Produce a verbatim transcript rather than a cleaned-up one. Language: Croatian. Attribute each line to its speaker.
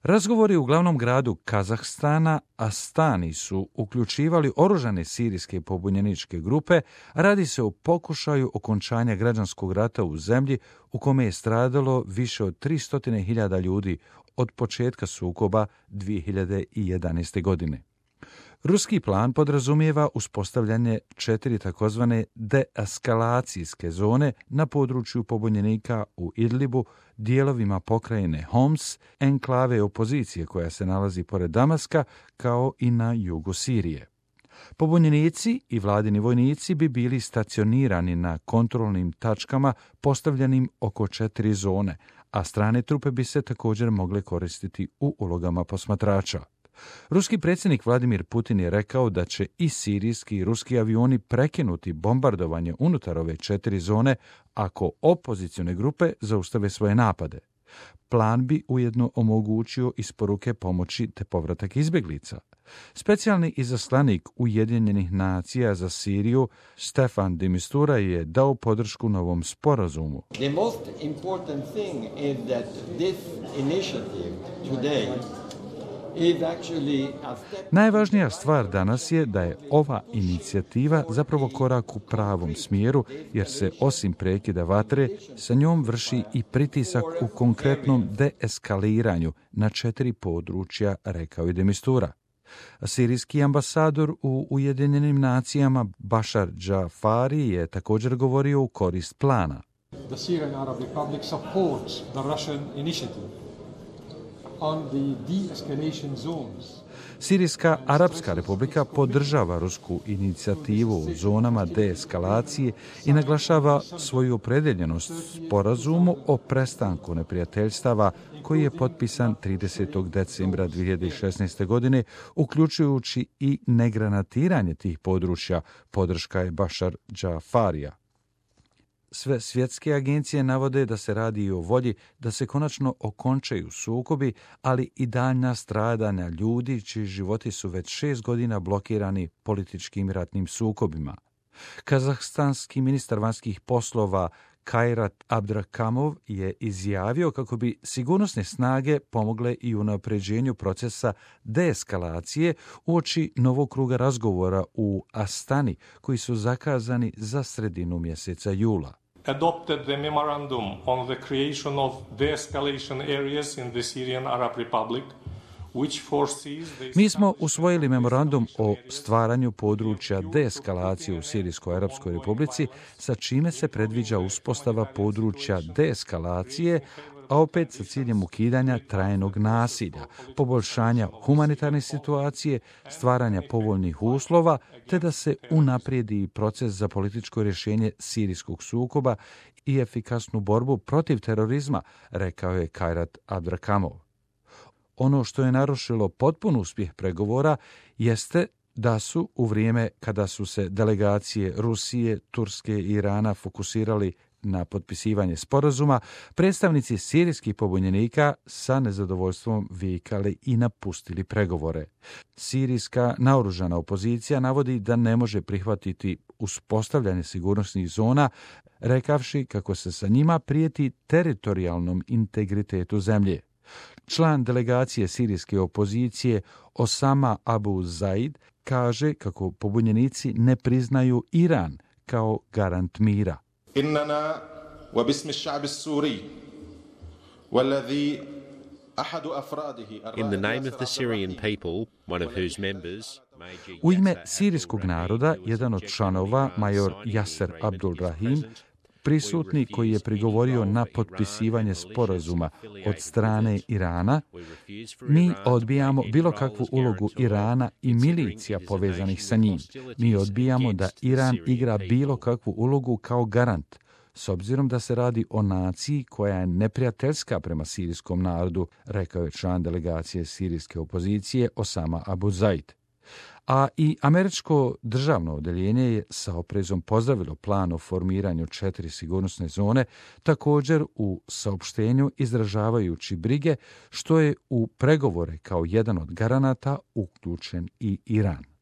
Speaker 1: Razgovori u glavnom gradu Kazahstana, Astani, su uključivali oružane sirijske pobunjeničke grupe, a radi se o pokušaju okončanja građanskog rata u zemlji u kome je stradalo više od tristo hiljada ljudi od početka sukoba dvije hiljade jedanaeste. godine. Ruski plan podrazumijeva uspostavljanje četiri takozvane deeskalacijske zone na području pobunjenika u Idlibu, dijelovima pokrajine Homs, enklave opozicije koja se nalazi pored Damaska, kao i na jugu Sirije. Pobunjenici i vladini vojnici bi bili stacionirani na kontrolnim tačkama postavljenim oko četiri zone, a strane trupe bi se također mogle koristiti u ulogama posmatrača. Ruski predsjednik Vladimir Putin je rekao da će i sirijski i ruski avioni prekinuti bombardovanje unutar ove četiri zone ako opozicione grupe zaustave svoje napade. Plan bi ujedno omogućio isporuke pomoći te povratak izbjeglica. Specijalni izaslanik Ujedinjenih nacija za Siriju Stefan de Mistura je dao podršku novom sporazumu.
Speaker 2: The most important thing is that this initiative today
Speaker 1: Najvažnija stvar danas je da je ova inicijativa zapravo korak u pravom smjeru, jer se osim prekida vatre sa njom vrši i pritisak u konkretnom deeskaliranju na četiri područja, rekao je de Mistura. Sirijski ambasador u Ujedinjenim nacijama Bashar Jafari je također govorio u korist plana.
Speaker 3: The Syrian Arab Republic supports the Russian initiative on the de-escalation zones.
Speaker 1: Sirijska Arapska republika podržava rusku inicijativu u zonama deeskalacije i naglašava svoju opredjeljenost sporazumu o prestanku neprijateljstava koji je potpisan tridesetog decembra dvije hiljade šesnaeste. godine, uključujući i negranatiranje tih područja, podrška je Bashar Jafarija. Sve svjetske agencije navode da se radi o volji da se konačno okončaju sukobi, ali i daljnja stradanja ljudi čiji životi su već šest godina blokirani političkim ratnim sukobima. Kazahstanski ministar vanjskih poslova Kairat Abdrakamov je izjavio kako bi sigurnosne snage pomogle i u unapređenju procesa deeskalacije uoči novog kruga razgovora u Astani, koji su zakazani za sredinu mjeseca jula.
Speaker 4: Adopted the memorandum on the creation of de-escalation areas in the Syrian Arab Republic, which foresees the...
Speaker 1: Mi smo usvojili memorandum o stvaranju područja deeskalacije u Sirijskoj Arapskoj Republici, sa čime se predviđa uspostava područja deeskalacije, a opet sa ciljem ukidanja trajnog nasilja, poboljšanja humanitarne situacije, stvaranja povoljnih uslova, te da se unaprijedi proces za političko rješenje sirijskog sukoba i efikasnu borbu protiv terorizma, rekao je Kairat Abdrakamov. Ono što je narušilo potpun uspjeh pregovora jeste da su u vrijeme kada su se delegacije Rusije, Turske i Irana fokusirali na potpisivanje sporazuma, predstavnici sirijskih pobunjenika sa nezadovoljstvom vikali i napustili pregovore. Sirijska naoružana opozicija navodi da ne može prihvatiti uspostavljanje sigurnosnih zona, rekavši kako se sa njima prijeti teritorijalnom integritetu zemlje. Član delegacije sirijske opozicije Osama Abu Zaid kaže kako pobunjenici ne priznaju Iran kao garant mira.
Speaker 5: إننا وباسم الشعب السوري والذي أحد أفراده
Speaker 6: In the name of the Syrian people, one of whose members,
Speaker 1: U ime sirijskog naroda, jedan od članova, major Yasser Abdul Rahim, prisutni koji je prigovorio na potpisivanje sporazuma od strane Irana, mi odbijamo bilo kakvu ulogu Irana i milicija povezanih sa njim. Mi odbijamo da Iran igra bilo kakvu ulogu kao garant, s obzirom da se radi o naciji koja je neprijateljska prema sirijskom narodu, rekao je član delegacije sirijske opozicije Osama Abu Zaid. A i američko državno odeljenje je sa oprezom pozdravilo plan o formiranju četiri sigurnosne zone, također u saopštenju izražavajući brige što je u pregovore kao jedan od garanata uključen i Iran.